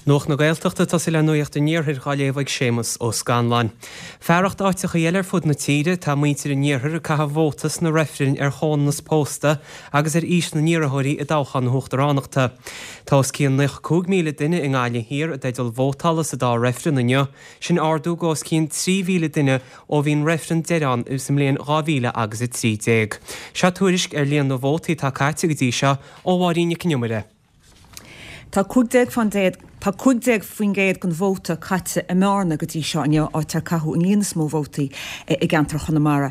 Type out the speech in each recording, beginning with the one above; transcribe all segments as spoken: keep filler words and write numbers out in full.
Nuacht na Gaeltachta tosaí le nuacht an Iarthair á léamh ag Séamus Ó Scanláin. Fearacht áiteacha eile ar fud na tíre tá muintir an Iarthair ag caitheamh vóta sna reifrinn ar chomhionannas pósta agus ar aois na n-iarrthóirí i dtoghchán na huachtaránachta. Tá os cionn naocha cúig míle duine i nGaillimh Thiar i dteideal vótála sa dá reifreann inniu, sin ardú go os cionn trí mhíle duine ó bhí an reifreann deiridh ann sa mbliain dhá mhíle agus a trí déag. Seo tuairisc ar líon na vótaí atá caite go dtí seo ó Mháirín Nic an Iomaire. Tá cúig déag faoin déad Tá cúig déag faoin gcéad den vóta caite i mBearna go dtí seo inniu, áit ar caitheadh an líon is mó vótaí i gceantar Chonamara.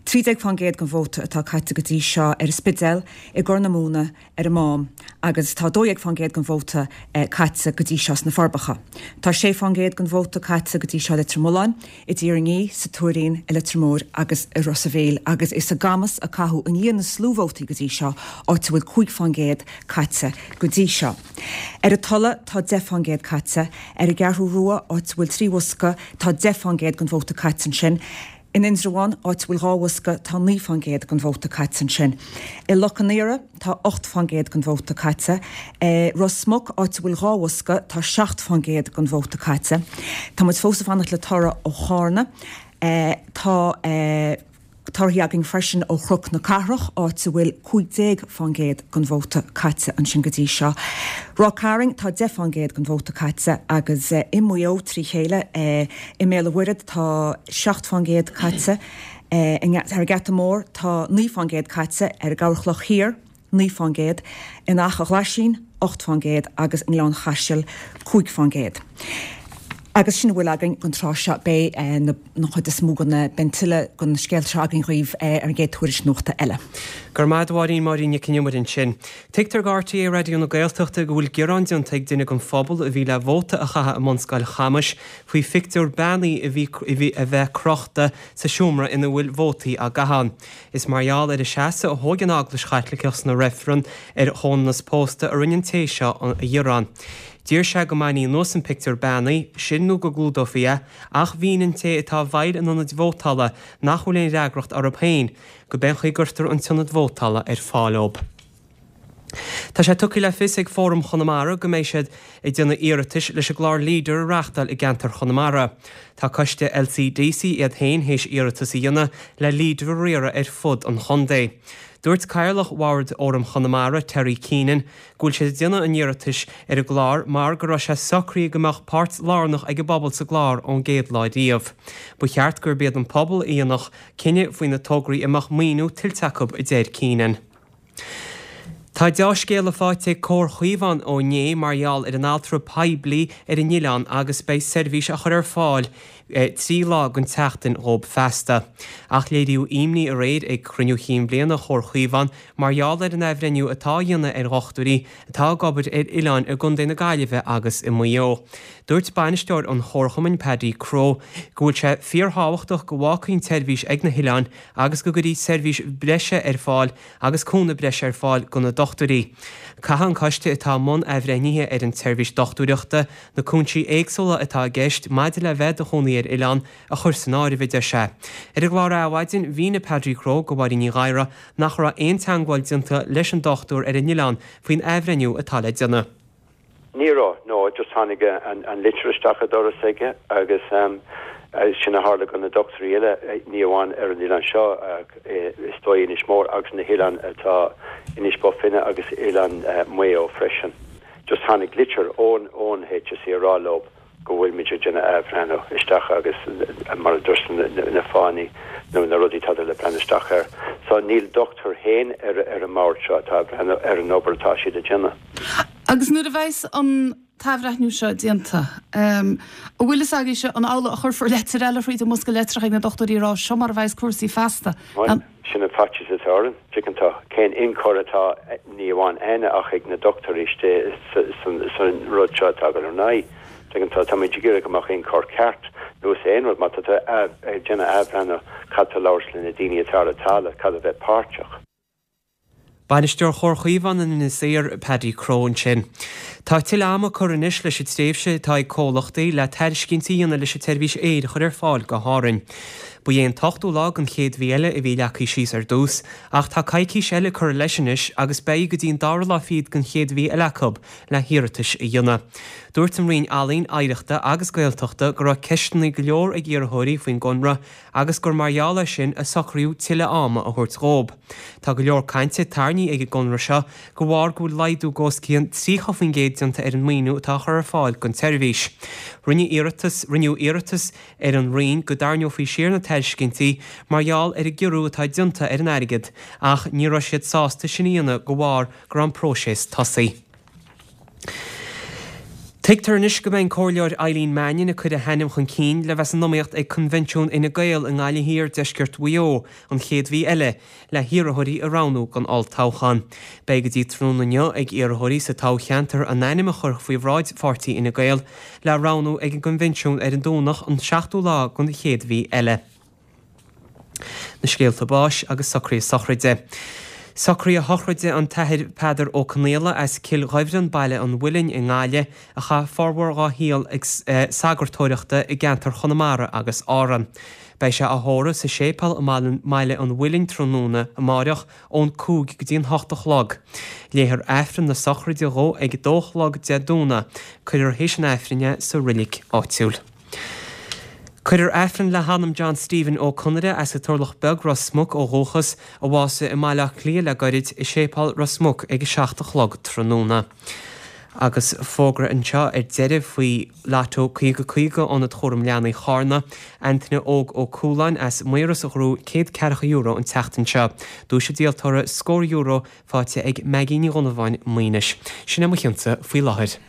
Trí déag faoin gcéad den vóta atá caite go dtí seo ar an Spidéal, i gCorr na Móna, ar an Mám, agus tá dó dhéag faoin gcéad den vóta caite go dtí seo sna Forbacha. Tá sé faoin gcéad den vóta caite go dtí seo i Leitir Mealláin, i dTír an Fhia, sa Tuairín, i Leitir Móir agus i Ros a' Mhíl, agus is i gCamus a caitheadh an líon is lú vótaí go dtí seo, áit a bhfuil cúig faoin gcéad caite go dtí seo. Ar an Tulaigh tá deich faoin gcéad caite. Ar an gCeathrú Rua, áit a bhfuil trí bhosca, tá deich faoin gcéad den vóta caite ansin. In Indreabhán, áit a bhfuil dhá bhosca, tá naoi faoin gcéad den vóta caite ansin. I Loch an Iora, tá ocht faoin gcéad den vóta caite. I Ros Muc, áit a bhfuil dhá bhosca, tá seacht faoin gcéad den vóta caite. Tá muid fós ag fanacht le toradh ó Chárna. Tá. Torthaí againn freisin ó Chnoc na Cathrach, áit a bhfuil cúig déag fán gcéad den vóta caite ansin go dtí seo. Ráth Cairn, tá deich fán gcéad den vóta caite agus i Maigh Eo trí chéile, i mBéal an Mhuirthead tá seacht fán gcéad caite, ar an nGeata Mór tá naoi fán gcéad caite, ar an gCeathrú Thiar, naoi fán gcéad, in Achadh Ghlaisín, ocht fán gcéad agus i nGleann Chaisil, cúig fán gcéad. Agus sin a bhfuil againn don tráth seo. Beidh an chuid is mó den, beidh tuilleadh den scéal seo againn dhaoibh ar an gcéad tuairisc nuachta eile. Go raibh maith agat a Mháirín, Máirín Nic an Iomaire ansin. Tuigtear do RTÉ Raidió na Gaeltachta go bhfuil gearán déanta ag duine den phobal a bhí le vóta a chaitheamh i mBunscoil Chamais faoi phictiúr bean a bhí a bheith crochta sa seomra ina bhfuil vótaí á gcaitheamh. Is mar gheall ar an seasamh a thóg an Eaglais Chaitliceach sna reifrinn ar chomhionannas pósta a rinne an té seo a ghearán. D'iarr sé go mbainfí anuas an pictiúr beannaí, sin nó go gclúdófaí é, ach mhínigh an té atá i bhfeighil an ionaid vótála nach bhfuil aon fhreagracht orthu féin, go b'én chaoi a gcuirtear an t-ionad vótála ar fáil dóibh. Tá sé tugtha le fios ag Fóram Chonamara go mbeidh siad ag déanamh iarratais leis an gclár Leader a reáchtáil i gceantar Chonamara. Tá coiste LCDC iad féin théis iarratas a dhéanamh le Leader a riaradh ar fud an chontae. Dúirt Cathaoirleach Bhord Fhóram Chonamara, Terry Keenan, go bhfuil siad ag déanamh an iarratais ar an gclár mar go raibh sé socraithe go mbeadh páirt lárnach ag an bpobal sa gclár ón gcéad lá riamh. Ba cheart gurb iad an pobal a dhéanfadh cinneadh faoi na tograí a mbeadh maoiniú tuillte acu, a deir Keenan. Tá deá-scéala faighte ag Comhar Chaomhán ó inné mar gheall ar an altra poiblí ar an oileán agus beidh seirbhís á chur ar fáil trí lá den tseachtain dhóibh feasta. Ach léiríodh imní aréir ag cruinniú chinn bhliana Chomhar Chaomhán mar gheall ar an athbhreithniú atá á dhéanamh ar dhochtúirí atá ag obair ar oileáin i gContae na Gaillimhe agus i Maigh Eo. Dúirt bainisteoir an Chomharchumainn Paddy Crowe go bhfuil sé fíorthábhachtach go bhfágfaí an tseirbhís ag na hoileáin agus go gcuirfí seirbhís breise ar fáil agus cúnamh breise ar fáil do na dochtúirí. Caithfidh an coiste atá i mbun athbhreithnithe ar an tseirbhís dochtúireachta na cúinsí éagsúla atá i gceist maidir le bheith i do chónaí ar oileán a chur san áireamh, a deir sé. Ar an gclár Adhmhaidin, mhínigh Paddy Crowe do Mháirín Ní Ghadhra nach raibh aon teagmháil déanta leis an dochtúir ar an oileán faoin athbhreithniú atá le déanamh. Ní raibh, no, just tháinig an litir isteach an doras aige agus sin a tharla do na dochtúirí eile, ní amháin ar an oileán seo ach is dóigh Inis Mór agus na hoileáin atá Inis Bó Finne agus oileán Mhaigh Eo freisin. Just tháinig litir ón ón HSE a rá leo go bhfuil muid ag déanamh athbhreithniú isteach agus mar a dúirt na fáthanna nó na rudaí atá le breathnú isteach air. So níl dochtúir féin ar ar an mbord seo atá ag breathnú ar an obair atá siad ag déanamh. Agus nuair a bheas an t-athbhreithniú seo déanta, an bhfuil fhios agaibhse an amhlaidh a chuirfear leitir eile thríd an mbosca litreach ag na dochtúirí a rá seo mar a bheas cúrsaí feasta? Bhuel, sin an faitíos atá orainn, tuigeann tú, cén ionchur atá ní amháin againne ach ag na dochtúirí istigh san rud seo atá ag dul ar aghaidh. Tuigeann tú, táimid ag iarraidh go mbeadh ionchur ceart nó is aon rud má tá tú ag déanamh athbhreithniú caithfidh tú labhairt le na daoine atá ar an talamh, caithfidh bheith páirteach. Bainisteoir Chomhar Chaomhán in Inis Oírr, Paddy Crowe ansin. Tá tuilleadh ama curtha anois leis an tréimhse atá ag comhlachtaí le tairiscintí a dhéanamh leis an tseirbhís aeir a chur ar fáil go hÁrainn. Ba é an t-ochtú lá den chéad mhí eile a bhí leagtha síos ar dtús, ach tá coicís eile curtha leis anois agus beidh go dtí an dara lá fichead den chéad mhí eile acu le hiarratais a dhéanamh. Dúirt an Roinn Ealaíon, Oidhreachta agus Gaeltachta go raibh ceisteanna go leor ag iarrthóirí faoin gconradh agus gur mar gheall air sin a socraíodh tuilleadh ama a thabhairt dhóibh. Tá go leor cainte tarraingthe ag an gconradh seo de bharr go bhfuil laghdú os cionn tríocha faoin gcéad déanta ar an maoiniú atá á chur ar fáil don tseirbhís. Rinneadh iarratas rinneadh iarratas ar an Roinn go dtarraingeofaí siar na tairiscintí mar gheall ar an gciorrú atá déanta ar an airgead ach ní raibh siad sásta sin a dhéanamh de bharr go raibh an próiseas tosaithe. Tuigtear anois go mbeidh an Comhairleoir Eileen Mannion ag cur a hainm chun cinn le bheith san iomaíocht ag Coinbhinsiún Fhine Gael i nGaillimh Thiar, Deisceart Mhaigh Eo, an chéad mhí eile, le hiarrthóirí a roghnú don olltoghchán. Beidh go dtí tráthnóna inniu ag iarrthóirí sa toghcheantar a n-ainm a chur faoi bhráid pháirtí Fhine Gael le roghnú ag an gCoinbhinsiún ar an Domhnach an seachtú lá den chéad mhí eile. Na scéalta báis agus socruithe sochraide. Socruithe sochraide an tAthair Peadar Ó Conaola as Cill Ghaibhreann, Baile an Mhuilinn i nGaillimh, a chaith formhór dhá shaol ag sagartóireachta i gceantar Chonamara agus Árann. Beidh sé á thórramh sa séipéal i mBaile an Mhuilinn tráthnóna amáireach ón cúig go dtí an hocht a chlog. Léifear Aifreann na sochraide dhó ag a dó a chlog Dé Domhnaigh. Cuirfear théis an Aifrinn é sa roilig áitiúil. Cuirfear Aifreann le hanam John Stephen Ó Conaire as an Turlach Beag, Ros Muc ó dhúchas, a bhásaigh i mBaile Átha Cliath le gairid, i Séipéal Ros Muc ag a seacht a chlog tráthnóna. Agus fógra anseo ar deireadh faoi Lotto caoga caoga Ionad Chúram Leanaí Charna, Antaine Óg Ó Cualáin as Maoras a ghnóthaigh céad ceathracha euro an tseachtain seo. Duais an díoltóra scór euro faighte ag Maggie Ní Dhonnabháin, Maínis. Sin é mo chionsa faoi láthair.